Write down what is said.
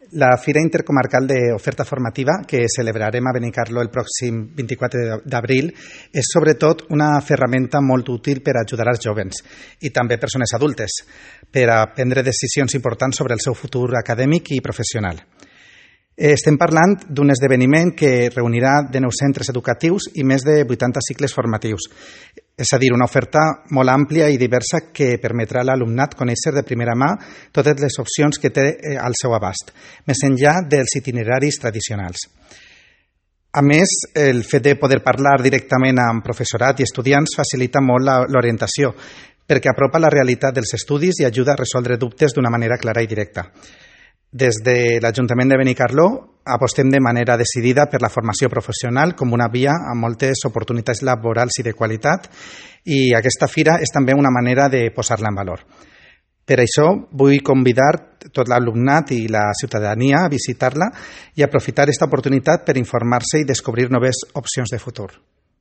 La Fira Intercomarcal d'Oferta Formativa, que celebrarem a Benicarló el pròxim 24 d'abril, és sobretot una ferramenta molt útil per ajudar els jovens i també persones adultes per a prendre decisions importants sobre el seu futur acadèmic i professional. Estem parlant d'un esdeveniment que reunirà 19 centres educatius i més de 80 cicles formatius. És a dir, una oferta molt àmplia i diversa que permetrà a l'alumnat conèixer de primera mà totes les opcions que té al seu abast, més enllà dels itineraris tradicionals. A més, el fet de poder parlar directament amb professorat i estudiants facilita molt l'orientació, perquè apropa la realitat dels estudis i ajuda a resoldre dubtes d'una manera clara i directa. Des de l'Ajuntament de Benicarló apostem de manera decidida per la formació professional com una via amb moltes oportunitats laborals i de qualitat, i aquesta fira és també una manera de posar-la en valor. Per això vull convidar tot l'alumnat i la ciutadania a visitar-la i aprofitar aquesta oportunitat per informar-se i descobrir noves opcions de futur.